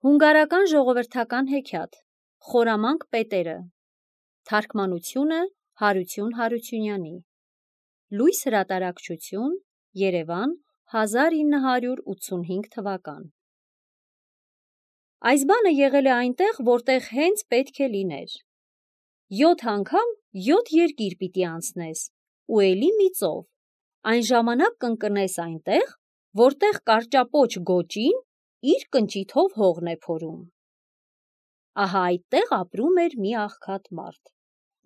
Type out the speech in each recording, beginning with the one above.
Հունգարական ժողովրդական հեքիաթ Խորամանկ պետերը Թարգմանությունը Հարություն Հարությունյանի Լույս հրատարակչություն Երևան 1985 թվական Այս բանը եղել է այնտեղ, որտեղ հենց պետք է լիներ։ 7 անգամ 7 երկիր պիտի անցնես, ու էլի մի ծով, այն ժամանակ կընկնես այնտեղ, որտեղ կարճապոչ գոճին իր կնճիթով հողն է փորում։ Ահա այդտեղ ապրում էր մի աղքատ մարդ։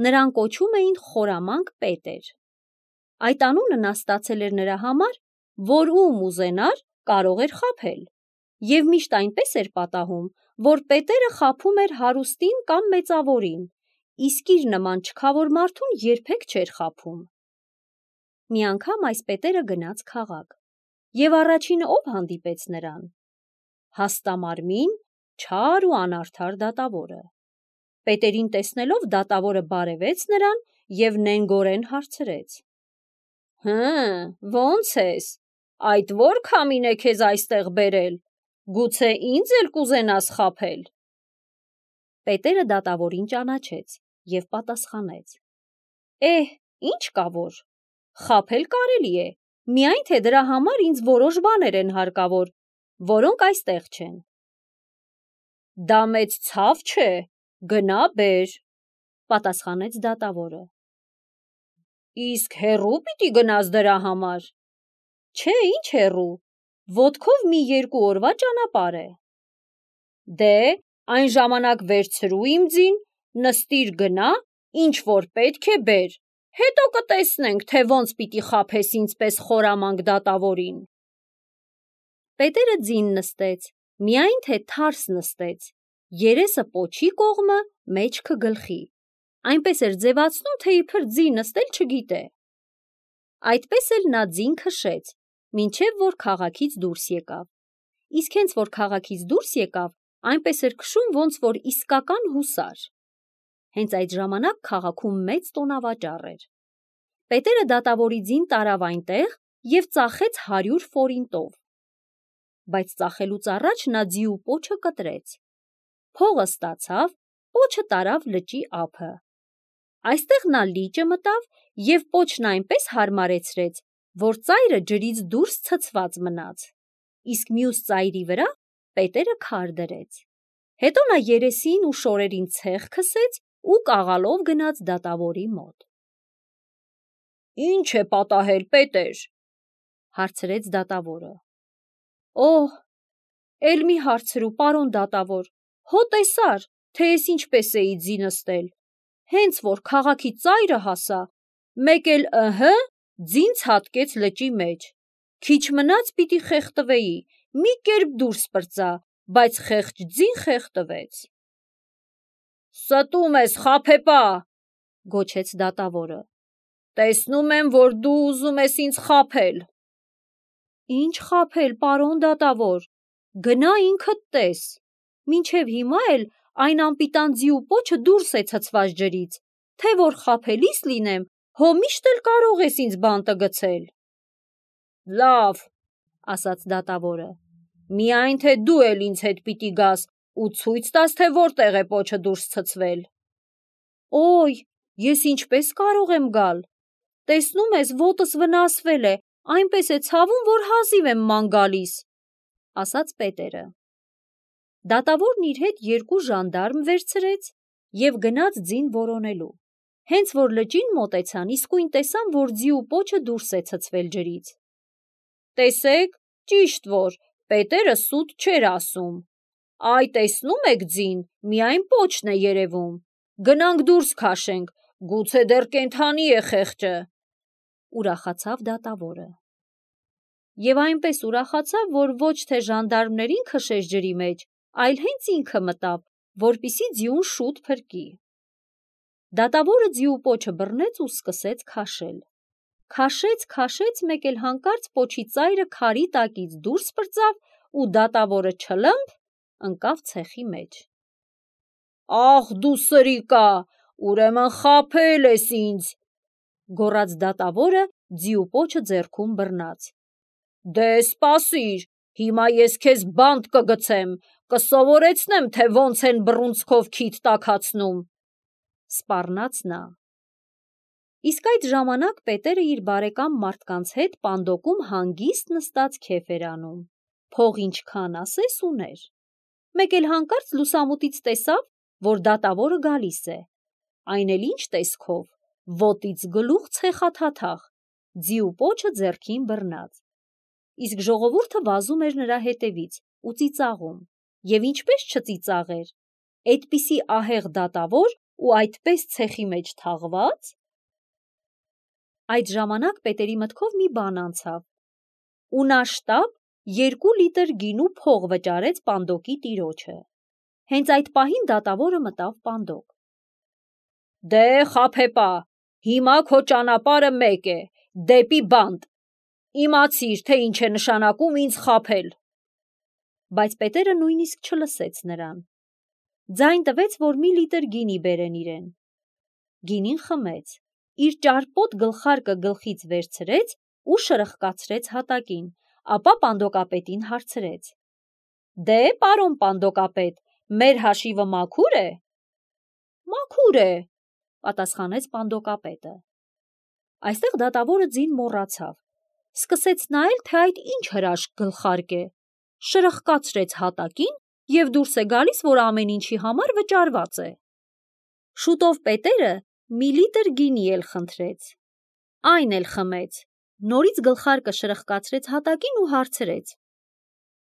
Նրան կոչում էին Խորամանկ պետեր։ Այդ անունը նա ստացել էր նրա համար, որ ում ուզենար կարող էր խաբել, և միշտ այնպես էր պատահում, որ պետերը խաբում էր հարուստին կամ մեծավորին, իսկ իր նման չքավոր մարդուն երբեք չէր խաբում։ Մի անգամ այս պետերը գնաց քաղաք, և առաջինը ով հանդիպեց նրան։ Հաստամարմին, չար ու անարդար դատավորը։ Պետերին տեսնելով դատավորը բարևեց նրան և նենգորեն հարցրեց. Ո՞նց ես, այդ ո՞ր քամին է քեզ այստեղ բերել, գուցե ինձ էլ կուզենաս խաբել։ Պետերը դատավորին ճանաչեց և պատասխանեց. Ինչ կա որ, խաբել կարելի է, միայն թե դրա համար ինձ որոշ բաներ են հարկավոր, որոնք այստեղ չեն։ Դա մեծ ցավ չէ, գնա բեր, պատասխանեց դատավորը։ Իսկ հեռու պիտի գնաս դրա համար։ Չէ, ինչ հեռու, ոտքով մի 2 օրվա ճանապարհ է։ Դե, այն ժամանակ վերցրու իմ ձին, նստիր գնա, ինչ որ պետք է բեր, հետո կտեսնենք, թե ոնց պիտի խաբես ինձպես խորամանկ դատավորին։ Պետերը ձին նստեց, միայն թե թարս նստեց, երեսը պոչի կողմը, մեջքը գլխի, այնպես էր ձևացնում, թե իբր ձի նստել չգիտե։ Այդպես էլ նա ձին քշեց, մինչև որ քաղաքից դուրս եկավ, իսկ հենց որ քաղաքից դուրս եկավ, այնպես էր քշում, ոնց որ իսկական հուսար։ Հենց այդ ժամանակ քաղաքում մեծ տոնավաճառ էր։ Պետերը դատավորի ձին տարավ այնտեղ և ծախեց 100 ֆորինտով։ Բայց ծախելուց առաջ նա ձիու պոչը կտրեց։ Փողը ստացավ, պոչը տարավ լճի ափը։ Այստեղ նա լիճը մտավ և պոչն այնպես հարմարեցրեց, որ ծայրը ջրից դուրս ցցված մնաց, իսկ մյուս ծայրի վրա պետերը քար դրեց։ Հետո նա երեսին ու շորերին ցեխ քսեց ու կաղալով գնաց դատավորի մոտ։ Ինչ է պատահել, պետեր, հարցրեց դատավորը։ Էլ մի հարցրու, պարոն դատավոր, հո տեսար, թե ես ինչպես էի ձի նստել, հենց որ քաղաքի ծայրը հասա, մեկ էլ ձին ցատկեց լճի մեջ, քիչ մնաց պիտի խեղդվեի, մի կերպ դուրս պրծա, բայց խեղճ ձին խեղդվեց։ Ստում ես, խաբեպա, գոչեց դատավորը, տեսնում եմ, որ դու ուզում ես ինձ խաբել։ Ինչ խաբել, պարոն դատավոր, գնա ինքդ տես, մինչև հիմա էլ այն անպիտան ձիու պոչը դուրս է ցցված ջրից, թե որ խաբելիս լինեմ, հո միշտ էլ կարող ես ինձ բանտը գցել։ Լավ, ասաց դատավորը, միայն թե դու էլ ինձ հետ պիտի գաս ու ցույց տաս, թե որտեղ է պոչը դուրս ցցվել։ Ես ինչպես կարող եմ գալ, տեսնում ես, ոտս վնասվել է, այնպես է ցավում, որ հազիվ եմ ման գալիս, ասաց պետերը։ Դատավորն իր հետ 2 ժանդարմ վերցրեց և գնաց ձին որոնելու։ Հենց որ լճին մոտեցան, իսկույն տեսան, որ ձիու պոչը դուրս է ցցվել ջրից։ Տեսեք, ճիշտ որ, պետերը սուտ չէր ասում։ Այ տեսնում եք ձին, միայն պոչն է երևում։ Գնանք դուրս քաշենք, գուցե դեռ կենդանի է խեղճը, ուրախացավ դատավորը։ Եվ այնպես ուրախացավ, որ ոչ թե ժանդարմներին քշեց ջրի մեջ, այլ հենց ինքը մտավ, որպեսզի ձիուն շուտ փրկի։ Դատավորը ձիու պոչը բռնեց ու սկսեց քաշել։ Քաշեց, մեկ էլ հանկարծ պոչի ծայրը քարի տակից դուրս պրծավ ու դատավորը չլմփ ընկավ ցեխի մեջ։ Ահ դու սրիկա, ուրեմն խաբել ես ինձ, գոռաց դատավորը ձիու պոչը ձեռքում բռնած։ Դե սպասիր, հիմա ես քեզ բանտ կգցեմ, կսովորեցնեմ, թե ոնց են բռունցքով քիթ տաքացնում, սպառնաց նա։ Իսկ այդ ժամանակ Պետերը իր բարեկամ մարդկանց հետ պանդոկում հանգիստ նստած քեֆ էր անում։ Փող ինչքան ասես ուներ։ Մեկ էլ հանկարծ լուսամուտից տեսավ, որ դատավորը գալիս է։ Այն էլ ինչ տեսքով, ոտից գլուխ ցեխաթաթախ, ձի ու պոչը ձեռքին բռնած։ Իսկ ժողովուրդը վազում էր նրա հետևից ու ծիծաղում։ Եվ ինչպես չծիծաղեր, այդպիսի ահեղ դատավոր ու այդպես ցեխի մեջ թաղված։ Այդ ժամանակ Պետերի մտքով մի բան անցավ, ու նա շտապ 2 լիտր գինու փող վճարեց պանդոկի տիրոջը։ Հենց այդ պահին դատավորը մտավ պանդոկ։ Դե խաբեպա, հիմա քո ճանապարհը մեկ է, դեպի բանտ։ Իմացիր, թե ինչ է նշանակում ինձ խաբել։ Բայց Պետերը նույնիսկ չլսեց նրան։ Ձայն տվեց, որ մի լիտր գինի բերեն իրեն։ Գինին խմեց, իր ճարպոտ գլխարկը գլխից վերցրեց ու շրխկացրեց հատակին, ապա պանդոկապետին հարցրեց. Դե, պարոն պանդոկապետ, մեր հաշիվը մաքուր է։ Մաքուր է, պատասխանեց պանդոկապետը։ Այստեղ դատավորը ձին մոռացավ, սկսեց նայել, թե այդ ինչ հրաշք գլխարկ է, շրխկացրեց հատակին և դուրս է գալիս, որ ամեն ինչի համար վճարված է։ Շուտով Պետերը մի լիտր գինի էլ խնդրեց, այն էլ խմեց, նորից գլխարկը շրխկացրեց հատակին ու հարցրեց.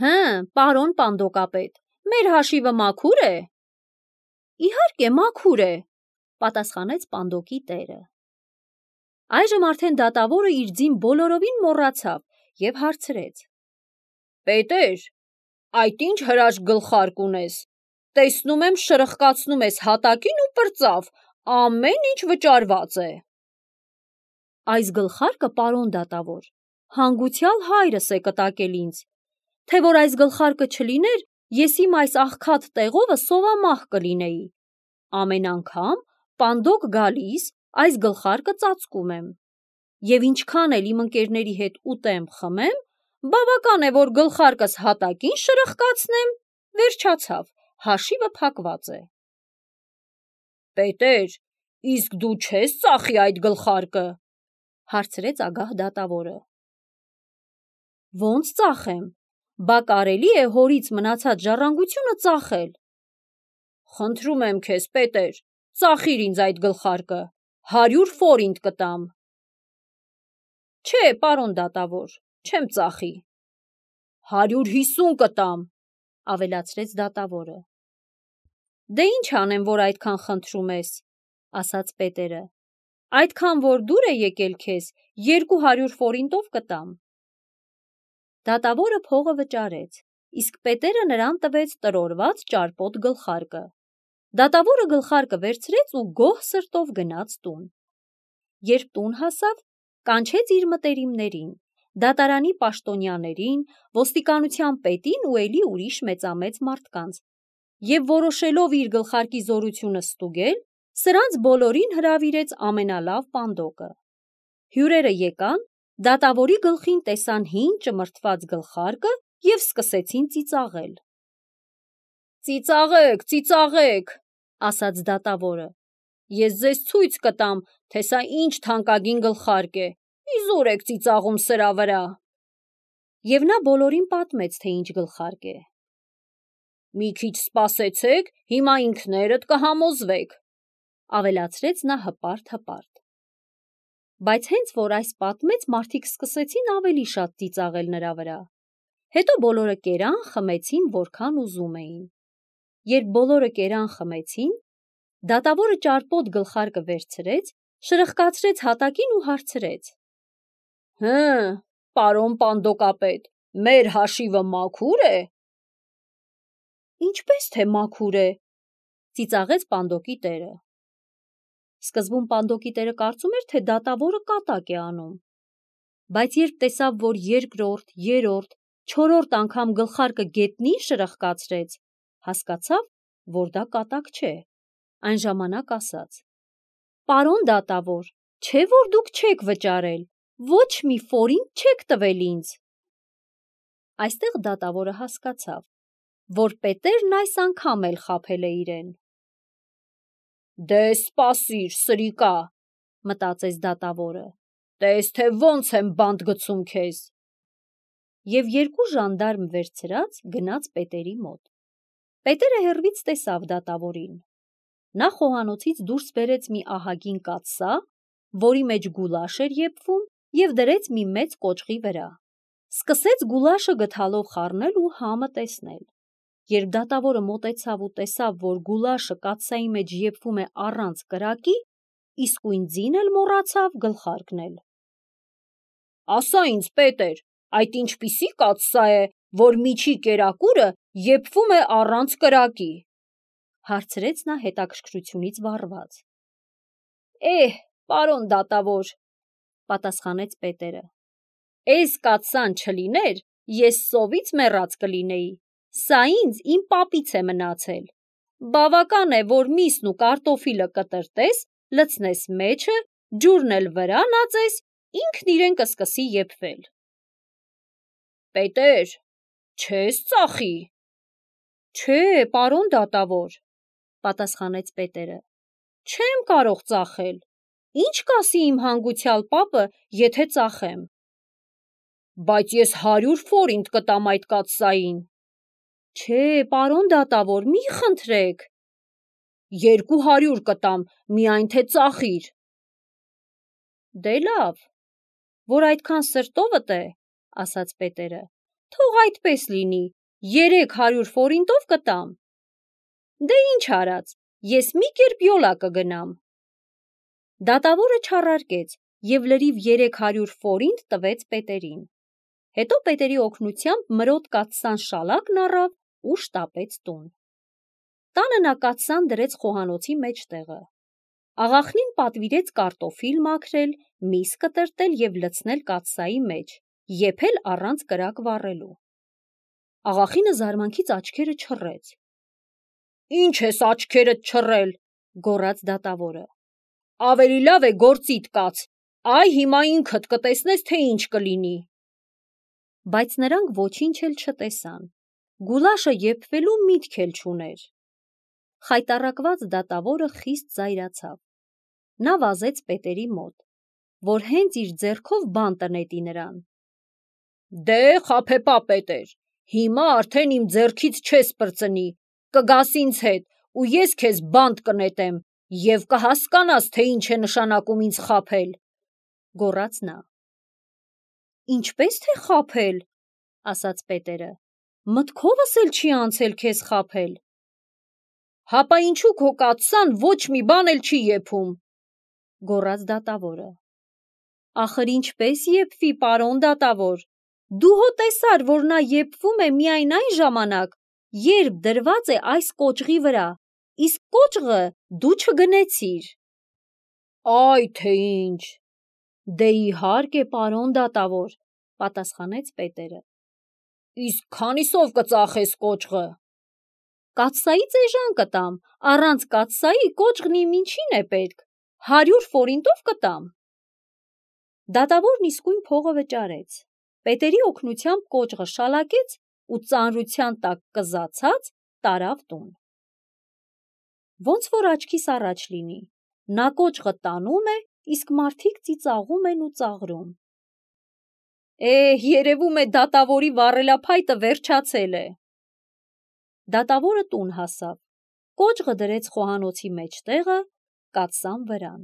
Հը, պարոն պանդոկապետ, մեր հաշիվը մաքուր է։ Իհարկե մաքուր է, պատասխանեց պանդոկի տերը։ Այժմ արդեն դատավորը իր ձին բոլորովին մոռացավ և հարցրեց. Պետեր, այդ ինչ հրաշք գլխարկ ունես, տեսնում եմ շրխկացնում ես հատակին ու պրծավ, ամեն ինչ վճարված է։ Այս գլխարկը, պարոն դատավոր, հանգուցյալ հայրս է կտակել ինձ, թե որ այս գլխարկը չլիներ, ես իմ այս աղքատ տեղովը սովամահ կլինեի։ Ամեն անգամ պանդոկ գալիս այս գլխարկը ծածկում եմ։ Եվ ինչքան էլ իմ ընկերների հետ ուտեմ, խմեմ, բավական է, որ գլխարկս հատակին շրխկացնեմ, վերջացավ, հաշիվը փակված է։ Պետեր, իսկ դու չես ծախի այդ գլխարկը, հարցրեց ագահ դատավորը։ Ոնց ծախեմ, բա կարելի է հորից մնացած ժառանգությունը ծախել։ Խնդրում եմ քեզ, Պետեր, ծախիր ինձ այդ գլխարկը, 100 ֆորինտ կտամ։ Չէ, պարոն դատավոր, չեմ ծախի։ 150 կտամ, ավելացրեց դատավորը։ Դե ինչ անեմ, որ այդքան խնդրում ես, ասաց Պետերը։ Այդքան որ դուր է եկել քեզ, 200 ֆորինտով կտամ։ Դատավորը փողը վճարեց, իսկ Պետերը նրան տվեց տրորված ճարպոտ գլխարկը։ Դատավորը գլխարկը վերցրեց ու գոհ սրտով գնաց տուն։ Երբ տուն հասավ, կանչեց իր մտերիմներին, դատարանի պաշտոնյաներին, ոստիկանության պետին ու էլի ուրիշ մեծամեծ մարդկանց, և որոշելով իր գլխարկի զորությունը ստուգել, սրանց բոլորին հրավիրեց ամենալավ պանդոկը։ Հյուրերը եկան, դատավորի գլխին տեսան հին ճմրթված գլխարկը և սկսեցին ծիծաղել։ Ծիծաղեք, ծիծաղեք, ասաց դատավորը։ Ես ձեզ ցույց կտամ, թե սա ինչ թանկագին գլխարկ է, իզուր եք ծիծաղում սրա վրա։ Եվ նա բոլորին պատմեց, թե ինչ գլխարկ է։ Մի քիչ սպասեցեք, հիմա ինքներդ կհամոզվեք, ավելացրեց նա հպարտ։ Բայց հենց որ այս պատմեց, մարդիկ սկսեցին ավելի շատ ծիծաղել նրա վրա։ Հետո բոլորը կերան, խմեցին, որքան ուզում էին։ Երբ բոլորը կերան, խմեցին, դատավորը ճարպոտ գլխարկը վերցրեց, շրխկացրեց հատակին ու հարցրեց. Հը, պարոն պանդոկապետ, մեր հաշիվը մաքուր է։ Ինչպես թե մաքուր է, ծիծաղեց պանդոկի տերը։ Սկզբում պանդոկի տերը կարծում էր, թե դատավորը կատակ է անում։ Բայց երբ տեսավ, որ երկրորդ, երրորդ, չորրորդ անգամ գլխարկը գետնին շրխկացրեց, հասկացավ, որ դա կատակ չէ։ Այն ժամանակ ասաց. Պարոն դատավոր, չէ՞ որ դուք չեք վճարել, ոչ մի ֆորինտ չեք տվել ինձ։ Այստեղ դատավորը հասկացավ, որ Պետերն այս անգամ էլ խաբել է իրեն։ «Դե սպասիր, սրիկա», մտածեց դատավորը, «տես թե ոնց եմ բանտ գցում քեզ»։ Եվ երկու ժանդարմ վերցրած գնաց Պետերի մոտ։ Պետերը հեռվից տեսավ դատավորին։ Նա խոհանոցից դուրս բերեց մի ահագին կաթսա, որի մեջ գուլաշ էր եփվում, և դրեց մի մեծ կոճղի վրա։ Սկսեց գուլաշը գդալով խառնել ու համը տեսնել։ Երբ դատավորը մոտեցավ ու տեսավ, որ գուլաշը կաթսայի մեջ եփվում է առանց կրակի, իսկույն ձին էլ մոռացավ գլխարկնել։ «Ասա ինձ, Պետեր, այդ ինչպիսի կաթսա է, որ միջի կերակուրը եփվում է առանց կրակի», հարցրեց նա հետաքրքրությունից վառված։ Պարոն դատավոր, պատասխանեց Պետերը, «էս կաթսան չլիներ, ես սովից մեռած կլինեի, սա ինձ իմ պապից է մնացել։ Բավական է, որ միսն ու կարտոֆիլը կտրտես, լցնես մեջը, ջուրն էլ վրան ածես, ինքն իրեն կսկսի եփվել»։ «Պետեր, չես ծախի»։ «Չէ, պարոն դատավոր», պատասխանեց Պետերը, «չեմ կարող ծախել։ Ինչ կասի իմ հանգուցյալ պապը, եթե ծախեմ»։ «Բայց ես 100 ֆորինտ կտամ այդ կաթսային»։ «Չէ, պարոն դատավոր, մի խնդրեք»։ «200 կտամ, միայն թե ծախիր»։ «Դե լավ, որ այդքան սրտովդ է, ասաց Պետերը, թող այդպես լինի, 300 ֆորինտով կտամ։ Դե ինչ արած, ես մի կերպ յոլա կգնամ։ Դատավորը չառարկեց և լրիվ 300 ֆորինտ տվեց Պետերին։ Հետո Պետերի օգնությամբ մրոտ կաթսան շալակն առավ ու շտապեց տուն։ Տանը նա կաթսան դրեց խոհանոցի մեջտեղը։ Աղախնին պատվիրեց կարտոֆիլ մաքրել, միս կտրտել և լցնել կաթսայի մեջ, եփել առանց կրակ վառելու։ Աղախինը զարմանքից աչքերը չռեց։ «Ինչ ես աչքերդ չռել», գոռաց դատավորը։ «Ավելի լավ է գործիդ կաց, այ հիմա ինքդ կտեսնես, թե ինչ կլինի»։ Բայց նրանք ոչինչ էլ չտեսան։ Գուլաշը եփվելու միտք էլ չուներ։ Խայտառակված դատավորը խիստ զայրացավ։ Նա վազեց Պետերի մոտ, որ հենց իր ձեռքով բանտը նետի նրան։ «Դե, խաբեբա Պետեր, հիմա արդեն իմ ձեռքից չես պրծնի, կգաս ինձ հետ, ու ես քեզ բանտ կնետեմ, և կհասկանաս, թե ինչ է նշանակում ինձ խաբել», գոռաց նա։ «Ինչպես թե խաբել», ասաց Պետերը, «մտքովս էլ չի անցել քեզ խաբել»։ «Հապա ինչու քո կաթսան ոչ մի բան էլ չի եփում», գոռաց դատավորը։ «Ախր ինչպես եփվի, պարոն դատավոր, դու հո տեսար, որ նա եփվում է միայն այն ժամանակ, երբ դրված է այս կոճղի վրա, իսկ կոճղը դու չգնեցիր»։ «Այ թե ինչ։ Դե իհարկե, պարոն դատավոր», պատասխանեց Պետերը։ «Իսկ քանիսով կծախես կոճղը»։ «Կաթսայից էժան կտամ, առանց կաթսայի կոճղն իմ ինչին է պետք, 100 ֆորինտով կտամ»։ Դատավորն իսկույն փողը վճարեց։ Պետերի օգնությամբ կոճղը շալակեց ու ծանրության տակ կզացած տարավ տուն։ Ոնց որ աչքիս առաջ լինի, նա կոճղը տանում է, իսկ մարդիկ ծիծաղում են ու ծաղրում։ Երևում է դատավորի վառելափայտը վերջացել է։ Դատավորը տուն հասավ, կոճղը դրեց խոհանոցի մեջտեղը, կաթսան վրան։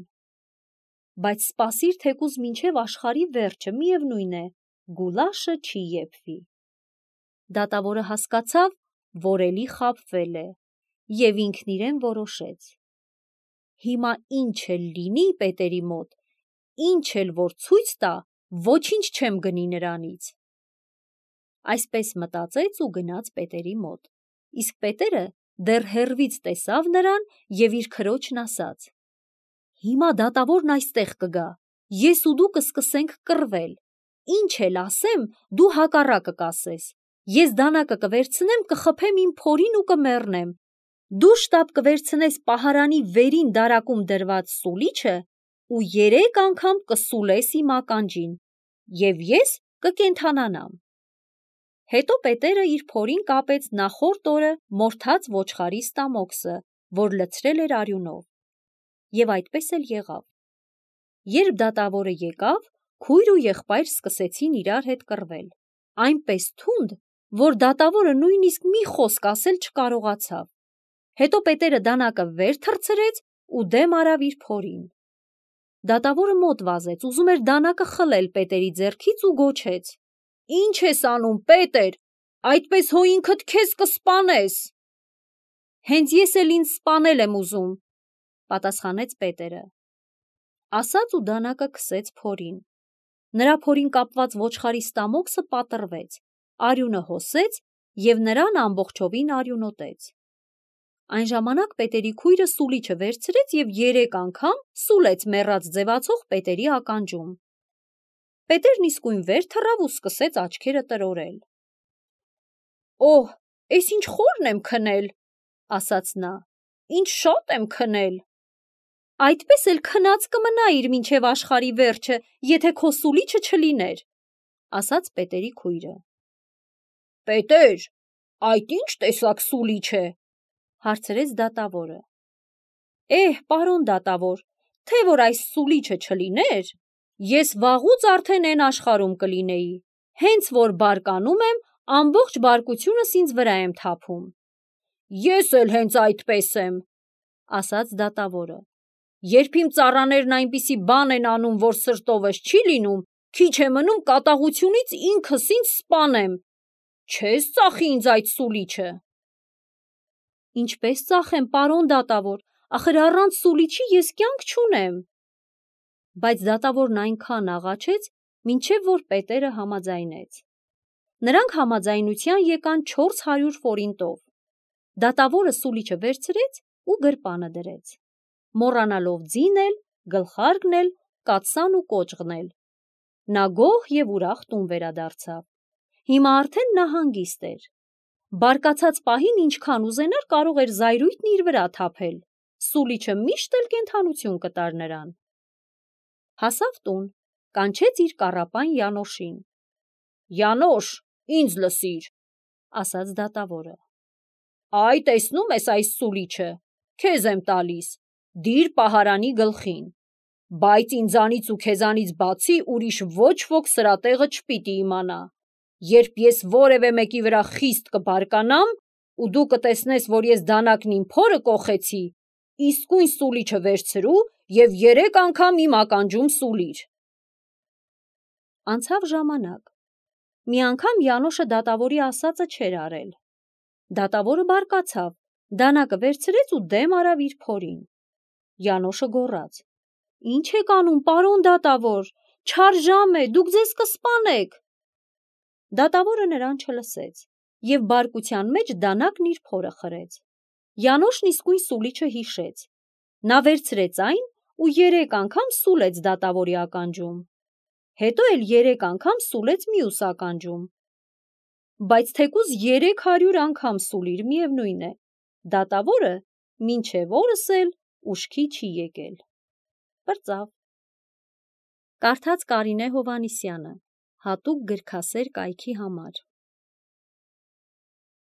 Բայց սպասիր թեկուզ մինչև աշխարհի վերջը, միևնույն է, գուլաշը չի եփվի։ Դատավորը հասկացավ, որ էլի խաբվել է, և ինքն իրեն որոշեց. հիմա ինչ էլ լինի Պետերի մոտ, ինչ էլ որ ցույց տա, ոչինչ չեմ գնի նրանից։ Այսպես մտածեց ու գնաց Պետերի մոտ, իսկ Պետերը դեռ հեռվից տեսավ նրան և իր քրոջն ասաց. «Հիմա դատավորն այստեղ կգա, ես ու դու կսկսենք կռվել, ինչ էլ ասեմ, դու հակառակը կասես, ես դանակը կվերցնեմ, կխփեմ իմ փորին ու կմեռնեմ, դու շտապ կվերցնես պահարանի վերին դարակում դրված սուլիչը ու 3 անգամ կսուլես իմ ականջին, և ես կկենդանանամ»։ Հետո Պետերը իր փորին կապեց նախորդ օրը մորթած ոչխարի ստամոքսը, որ լցրել էր արյունով։ Եվ այդպես էլ եղավ։ Երբ դատավորը եկավ, քույր ու եղբայր սկսեցին իրար հետ կռվել։ Այնպես թունդ, որ դատավորը նույնիսկ մի խոսք ասել չկարողացավ։ Հետո Պետերը դանակը վեր թռցրեց ու դեմ արավ իր փորին։ Դատավորը մոտ վազեց, ուզում էր դանակը խլել Պետերի ձեռքից ու գոչեց. «Ինչ ես անում, Պետեր, այդպես հո ինքդ քեզ կսպանես»։ «Հենց ես էլ ինձ սպանել եմ ուզում», պատասխանեց Պետերը։ Ասաց ու դանակը քսեց փորին։ Նրա փորին կապված ոչխարի ստամոքսը պատռվեց, արյունը հոսեց և նրան ամբողջովին արյունոտեց։ Այն ժամանակ Պետերի քույրը սուլիչը վերցրեց և 3 անգամ սուլեց մեռած ձևացող Պետերի ականջում։ Պետերն իսկույն վեր թռավ ու սկսեց աչքերը տրորել։ «Օհ, էս ինչ խորն եմ քնել», ասաց նա, «ինչ շատ եմ քնել»։ «Այդպես էլ քնած կմնայիր մինչև աշխարհի վերջը, եթե քո սուլիչը չլիներ», ասաց Պետերի քույրը։ «Պետեր, այդ ինչ տեսակ սուլիչ է», հարցրեց դատավորը։ «Պարոն դատավոր, թե որ այս սուլիչը չլիներ, ես վաղուց արդեն էն աշխարհում կլինեի, հենց որ բարկանում եմ, ամբողջ բարկությունս ինձ վրա եմ թափում»։ «Ես էլ հենց այդպես եմ», ասաց դատավորը։ «Երբ իմ ծառաներն այնպիսի բան են անում, որ սրտովս չի լինում, քիչ է մնում կատաղությունից ինքս ինձ սպանեմ։ Չես ծախի ինձ այդ սուլիչը»։ «Ինչպես ծախեմ, պարոն դատավոր, ախր առանց սուլիչի ես կյանք չունեմ»։ Բայց դատավորն այնքան աղաչեց, մինչև որ Պետերը համաձայնեց։ Նրանք համաձայնության եկան 400 ֆորինտով։ Դատավորը սուլիչը վերցրեց ու գրպանը դրեց, մոռանալով ձինել, գլխարկնել, կաթսան ու կոճղնել։ Նա գոհ և ուրախ տուն վերադարձավ։ Հիմա արդեն նա հանգիստ էր։ Բարկացած պահին ինչքան ուզենար կարող էր զայրույթն իր վրա թափել։ Սուլիչը միշտ էլ կենդանություն կտար նրան։ Հասավ տուն, կանչեց իր կառապան Յանոշին։ «Յանոշ, ինձ լսիր», ասաց դատավորը։ «Այ տեսնում ես այս սուլիչը, քեզ եմ տալիս, դիր պահարանի գլխին, բայց ինձանից ու քեզանից բացի ուրիշ ոչ ոք սրա տեղը չպիտի իմանա։ Երբ ես որևէ մեկի վրա խիստ կբարկանամ, ու դու կտեսնես, որ ես դանակն իմ փորը կոխեցի, իսկույն սուլիչը վերցրու և 3 անգամ իմ ականջում սուլիր»։ Անցավ ժամանակ։ Մի անգամ Յանոշը դատավորի ասածը չէր արել։ Դատավորը բարկացավ, դանակը վերցրեց ու դեմ արավ իր փորին։ Յանոշը գոռաց. «Ինչ եք անում, պարոն դատավոր, չար ժամ է, դուք ձեզ կսպանեք»։ Դատավորը նրան չլսեց և բարկության մեջ դանակն իր փորը խրեց։ Յանոշն իսկույն սուլիչը հիշեց։ Նա վերցրեց այն ու 3 անգամ սուլեց դատավորի ականջում։ Հետո էլ 3 անգամ սուլեց մյուս ականջում։ Բայց թեկուզ 300 անգամ սուլիր, միևնույն է, դատավորը մինչև օրս էլ ուշքի չի եկել։ Պրծավ։ Կարդաց Կարինե Հովհաննիսյանը, հատուկ գրքասեր կայքի համար։